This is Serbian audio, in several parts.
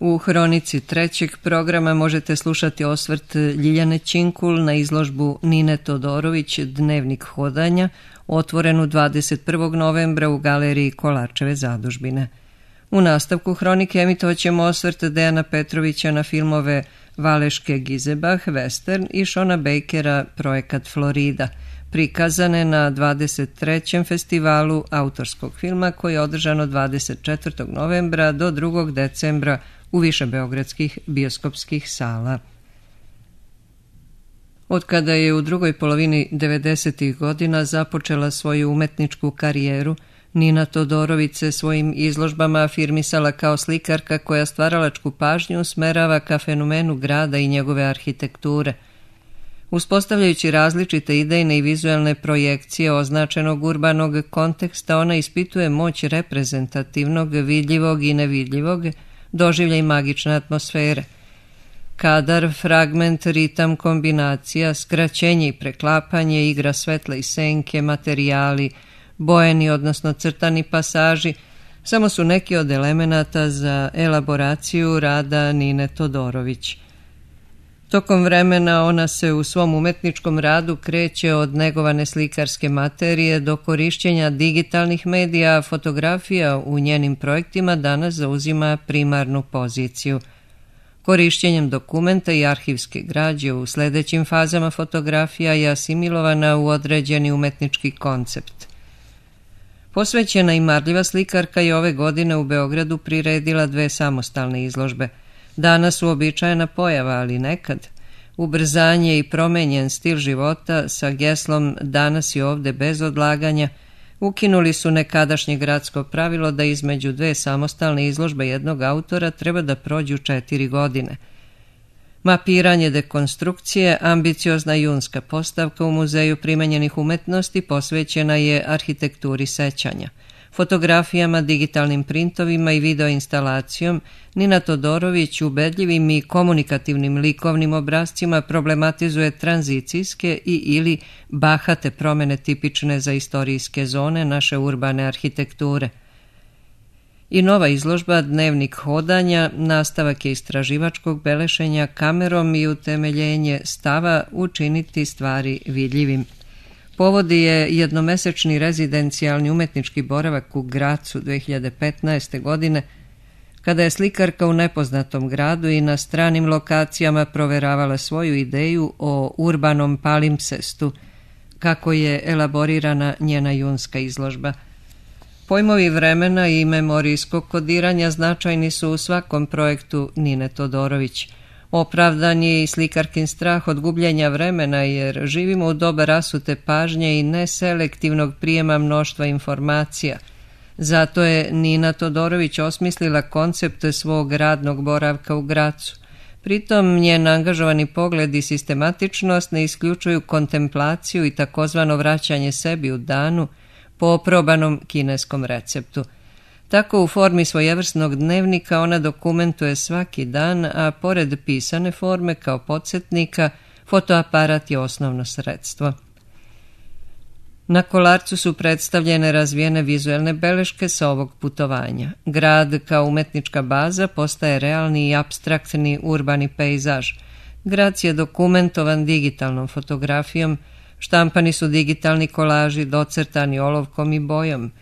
U hronici trećeg programa možete slušati osvrt Ljiljane Činkul na izložbu Nine Todorović Dnevnik hodanja, otvorenu 21. novembra u galeriji Kolarčeve zadužbine. U nastavku hronike emitovaćemo osvrt Dejana Petrovića na filmove Valeške Gizebah, Western i Shona Bakera, Projekat Florida, prikazane na 23. festivalu autorskog filma koji je održan od 24. novembra do 2. decembra u više beogradskih bioskopskih sala. Od kada je u drugoj polovini 90. godina započela svoju umetničku karijeru, Nina Todorović se svojim izložbama afirmisala kao slikarka koja stvaralačku pažnju usmerava ka fenomenu grada i njegove arhitekture. Uspostavljajući različite idejne i vizuelne projekcije označenog urbanog konteksta, ona ispituje moć reprezentativnog, vidljivog i nevidljivog, doživlja i magične atmosfere. Kadar, fragment, ritam, kombinacija, skraćenje i preklapanje, igra svetla i senke, materijali, bojeni odnosno crtani pasaži, samo su neki od elemenata za elaboraciju rada Nine Todorović. Tokom vremena ona se u svom umetničkom radu kreće od negovane slikarske materije do korišćenja digitalnih medija, a fotografija u njenim projektima danas zauzima primarnu poziciju. Korišćenjem dokumenta i arhivske građe u sledećim fazama fotografija je asimilovana u određeni umetnički koncept. Posvećena i marljiva slikarka je ove godine u Beogradu priredila 2 samostalne izložbe. Danas uobičajena pojava, ali nekad. Ubrzanje i promenjen stil života sa geslom danas i ovde bez odlaganja ukinuli su nekadašnje gradsko pravilo da između 2 samostalne izložbe jednog autora treba da prođu 4 godine. Mapiranje dekonstrukcije, ambiciozna junska postavka u Muzeju primenjenih umetnosti posvećena je arhitekturi sećanja. Fotografijama, digitalnim printovima i videoinstalacijom Nina Todorović ubedljivim i komunikativnim likovnim obrascima problematizuje tranzicijske i ili bahate promene tipične za istorijske zone naše urbane arhitekture. I nova izložba Dnevnik hodanja nastavak je istraživačkog belešenja kamerom i utemeljenje stava učiniti stvari vidljivim. Povodi je jednomesečni rezidencijalni umetnički boravak u Gracu 2015. godine, kada je slikarka u nepoznatom gradu i na stranim lokacijama proveravala svoju ideju o urbanom palimpsestu, kako je elaborirana njena junska izložba. Pojmovi vremena i memorijskog kodiranja značajni su u svakom projektu Nine Todorović. Opravdan je i slikarkin strah od gubljenja vremena jer živimo u doba rasute pažnje i neselektivnog prijema mnoštva informacija. Zato je Nina Todorović osmislila koncept svog radnog boravka u Gracu. Pritom njen angažovani pogled i sistematičnost ne isključuju kontemplaciju i takozvano vraćanje sebi u danu po oprobanom kineskom receptu. Tako u formi svojevrsnog dnevnika ona dokumentuje svaki dan, a pored pisane forme kao podsjetnika, fotoaparat je osnovno sredstvo. Na Kolarcu su predstavljene razvijene vizuelne beleške sa ovog putovanja. Grad kao umetnička baza postaje realni i apstraktni urbani pejzaž. Grad je dokumentovan digitalnom fotografijom, štampani su digitalni kolaži docrtani olovkom i bojom.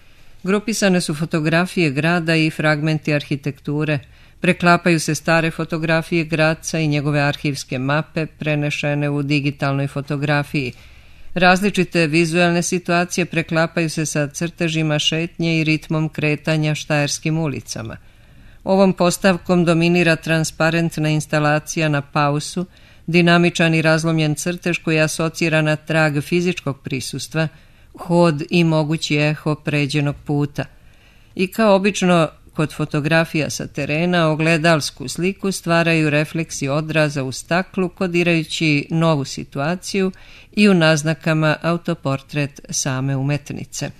Grupisane su fotografije grada i fragmenti arhitekture, preklapaju se stare fotografije Graca i njegove arhivske mape prenešene u digitalnoj fotografiji. Različite vizuelne situacije preklapaju se sa crtežima šetnje i ritmom kretanja štajerskim ulicama. Ovom postavkom dominira transparentna instalacija na pausu, dinamičan i razlomljen crtež koji asocira na trag fizičkog prisustva, hod i mogući eho pređenog puta. I kao obično kod fotografija sa terena ogledalsku sliku stvaraju refleksi odraza u staklu kodirajući novu situaciju i u naznakama autoportret same umetnice.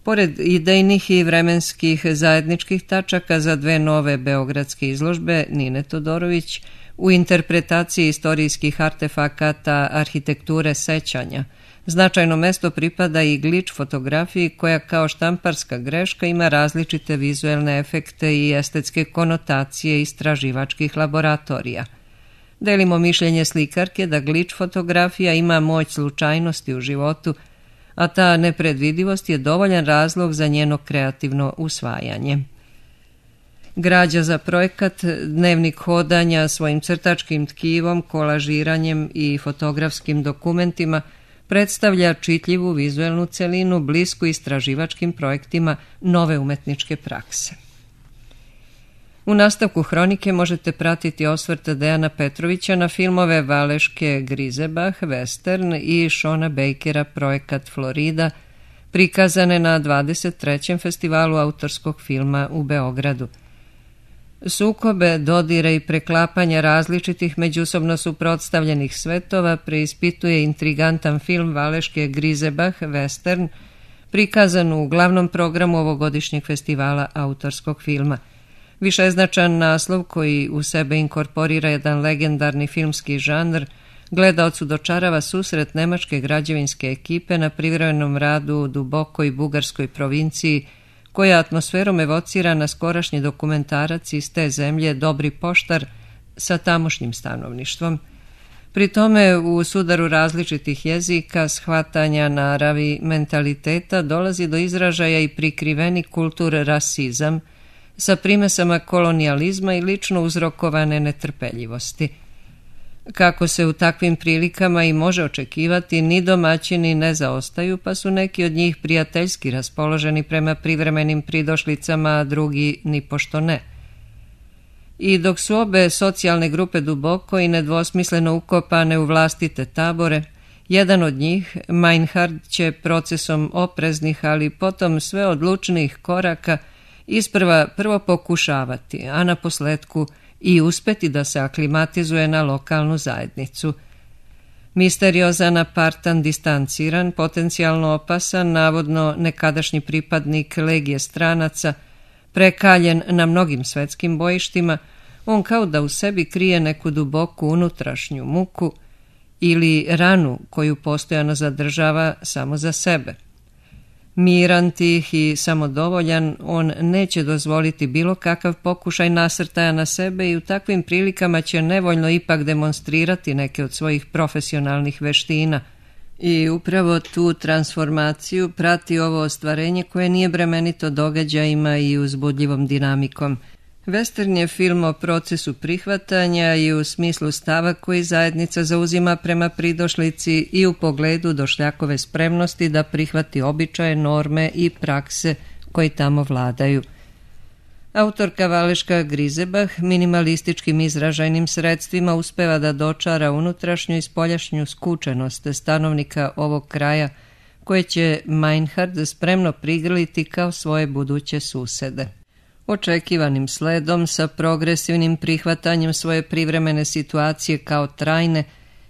Pored idejnih i vremenskih zajedničkih tačaka za 2 nove beogradske izložbe Nine Todorović, u interpretaciji istorijskih artefakata arhitekture sećanja, Značajno mesto pripada i glič fotografiji koja kao štamparska greška ima različite vizuelne efekte i estetske konotacije istraživačkih laboratorija. Delimo mišljenje slikarke da glič fotografija ima moć slučajnosti u životu, a ta nepredvidivost je dovoljan razlog za njeno kreativno usvajanje. Građa za projekat, dnevnik hodanja svojim crtačkim tkivom, kolažiranjem i fotografskim dokumentima predstavlja čitljivu vizuelnu celinu blisku istraživačkim projektima nove umetničke prakse. U nastavku hronike možete pratiti osvrt Dejana Petrovića na filmove Valeške Grizebach, Western i Shona Bakera, projekat Florida, prikazane na 23. festivalu autorskog filma u Beogradu. Sukobe, dodire i preklapanja različitih međusobno suprotstavljenih svetova preispituje intrigantan film Valeške Grizebach, Western, prikazan u glavnom programu ovogodišnjeg festivala autorskog filma. Višeznačan naslov koji u sebe inkorporira jedan legendarni filmski žanr, gledaocu dočarava susret nemačke građevinske ekipe na privremenom radu u dubokoj bugarskoj provinciji, koja atmosferom evocira na skorašnji dokumentarac iz te zemlje Dobri poštar sa tamošnjim stanovništvom. Pri tome u sudaru različitih jezika, shvatanja naravi, mentaliteta dolazi do izražaja i prikriveni rasizam sa primesama kolonijalizma i lično uzrokovane netrpeljivosti. Kako se u takvim prilikama i može očekivati, ni domaćini ne zaostaju, pa su neki od njih prijateljski raspoloženi prema privremenim pridošlicama, a drugi nipošto ne. I dok su obe socijalne grupe duboko i nedvosmisleno ukopane u vlastite tabore, jedan od njih, Meinhard, će procesom opreznih, ali potom sve odlučnijih koraka isprva prvo pokušavati, a na posletku i uspeti da se aklimatizuje na lokalnu zajednicu. Misteriozan, apartan, distanciran, potencijalno opasan, navodno nekadašnji pripadnik legije stranaca, prekaljen na mnogim svetskim bojištima, on kao da u sebi krije neku duboku unutrašnju muku ili ranu koju postojano zadržava samo za sebe. Miran, tih i samodovoljan, on neće dozvoliti bilo kakav pokušaj nasrtaja na sebe i u takvim prilikama će nevoljno ipak demonstrirati neke od svojih profesionalnih veština. I upravo tu transformaciju prati ovo ostvarenje koje nije bremenito događajima i uzbudljivom dinamikom. Western je film o procesu prihvatanja i u smislu stava koji zajednica zauzima prema pridošlici i u pogledu došljakove spremnosti da prihvati običaje, norme i prakse koji tamo vladaju. Autorka Valeška Grizebach minimalističkim izražajnim sredstvima uspeva da dočara unutrašnju i spoljašnju skučenost stanovnika ovog kraja, koje će Meinhard spremno prigrliti kao svoje buduće susede. Očekivanim sledom, sa progresivnim prihvatanjem svoje privremene situacije kao trajne,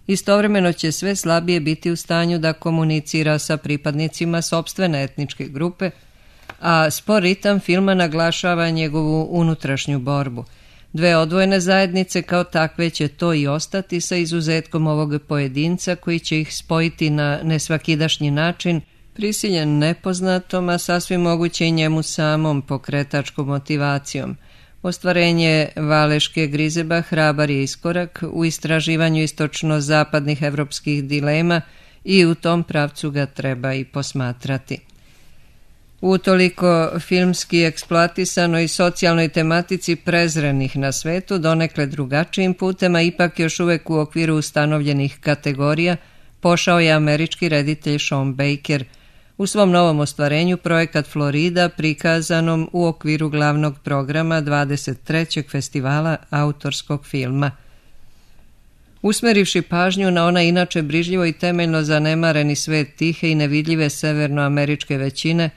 istovremeno će sve slabije biti u stanju da komunicira sa pripadnicima sopstvene etničke grupe, a spor ritam filma naglašava njegovu unutrašnju borbu. Dve odvojene zajednice kao takve će to i ostati, sa izuzetkom ovog pojedinca koji će ih spojiti na nesvakidašnji način, prisiljen nepoznatom, a sasvim moguće i njemu samom pokretačkom motivacijom. Ostvarenje Valeške Grizebach hrabar je iskorak u istraživanju istočno-zapadnih evropskih dilema i u tom pravcu ga treba i posmatrati. U toliko filmski eksploatisanoj socijalnoj tematici prezrenih na svetu, donekle drugačijim putem, a ipak još uvek u okviru ustanovljenih kategorija, pošao je američki reditelj Sean Baker u svom novom ostvarenju projekat Florida, prikazanom u okviru glavnog programa 23. festivala autorskog filma. Usmerivši pažnju na ona inače brižljivo i temeljno zanemareni svet tihe i nevidljive severnoameričke većine,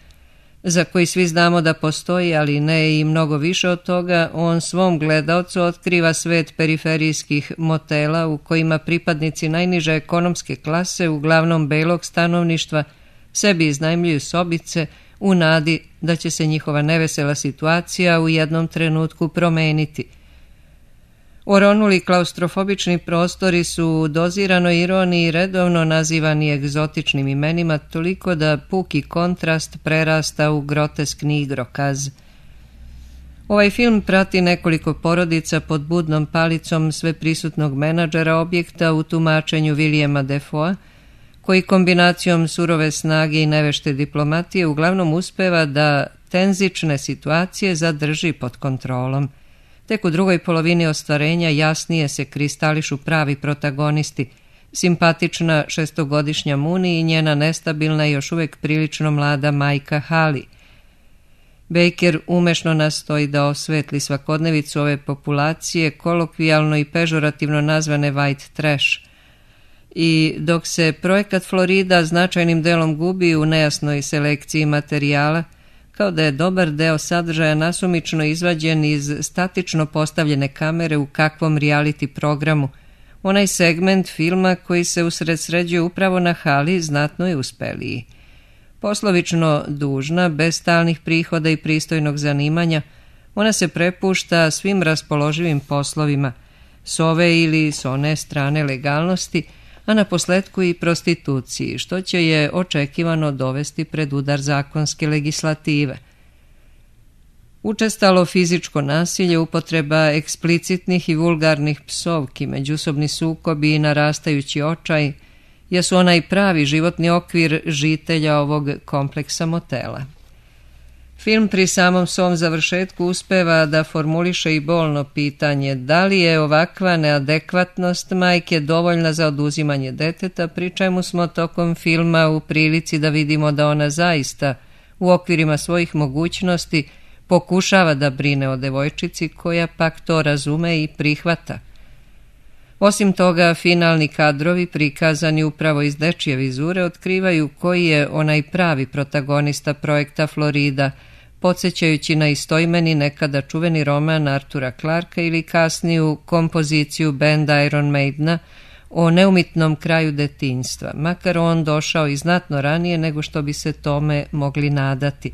za koji svi znamo da postoji, ali ne i mnogo više od toga, on svom gledaocu otkriva svet periferijskih motela u kojima pripadnici najniže ekonomske klase, uglavnom belog stanovništva, sebi iznajmljuju sobice u nadi da će se njihova nevesela situacija u jednom trenutku promeniti. Oronuli klaustrofobični prostori su u doziranoj ironiji redovno nazivani egzotičnim imenima toliko da puki kontrast prerasta u groteskni igrokaz. Ovaj film prati nekoliko porodica pod budnom palicom sveprisutnog menadžera objekta u tumačenju Williama Defoea, koji kombinacijom surove snage i nevešte diplomatije uglavnom uspeva da tenzične situacije zadrži pod kontrolom. Tek u drugoj polovini ostvarenja jasnije se kristališu pravi protagonisti, simpatična šestogodišnja Mooney i njena nestabilna i još uvijek prilično mlada majka Hallie. Baker umešno nastoji da osvetli svakodnevicu ove populacije, kolokvijalno i pežorativno nazvane white trash. I dok se projekat Florida značajnim delom gubi u nejasnoj selekciji materijala, kao da je dobar deo sadržaja nasumično izvađen iz statično postavljene kamere u kakvom reality programu, onaj segment filma koji se usredsređuje upravo na Hallie znatno je uspeliji. Poslovično dužna, bez stalnih prihoda i pristojnog zanimanja, ona se prepušta svim raspoloživim poslovima, s ove ili s one strane legalnosti, a na posletku i prostituciji, što će je očekivano dovesti pred udar zakonske legislative. Učestalo fizičko nasilje, upotreba eksplicitnih i vulgarnih psovki, međusobni sukobi i narastajući očaj jesu onaj pravi životni okvir žitelja ovog kompleksa motela. Film pri samom svom završetku uspeva da formuliše i bolno pitanje da li je ovakva neadekvatnost majke dovoljna za oduzimanje deteta, pri čemu smo tokom filma u prilici da vidimo da ona zaista u okvirima svojih mogućnosti pokušava da brine o devojčici koja pak to razume i prihvata. Osim toga, finalni kadrovi prikazani upravo iz dečije vizure otkrivaju koji je onaj pravi protagonista projekta Florida, podsjećajući na istoimeni nekada čuveni roman Artura Clarka ili kasniju kompoziciju benda Iron Maidena o neumitnom kraju detinjstva, makar on došao i znatno ranije nego što bi se tome mogli nadati.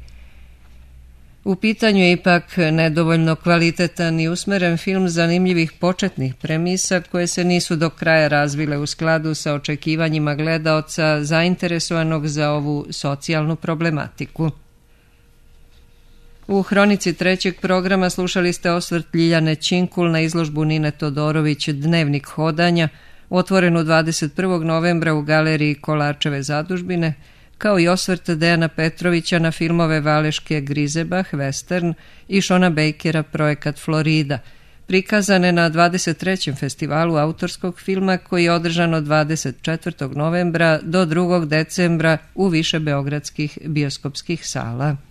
U pitanju je ipak nedovoljno kvalitetan i usmeren film zanimljivih početnih premisa koje se nisu do kraja razvile u skladu sa očekivanjima gledaoca zainteresovanog za ovu socijalnu problematiku. U hronici trećeg programa slušali ste osvrt Ljiljane Činkul na izložbu Nine Todorović Dnevnik hodanja, otvorenu 21. novembra u galeriji Kolarčeve zadužbine, kao i osvrt Dejana Petrovića na filmove Valeške Grizebah, Western i Shona Bakera, projekat Florida, prikazane na 23. festivalu autorskog filma koji je održan od 24. novembra do 2. decembra u više beogradskih bioskopskih sala.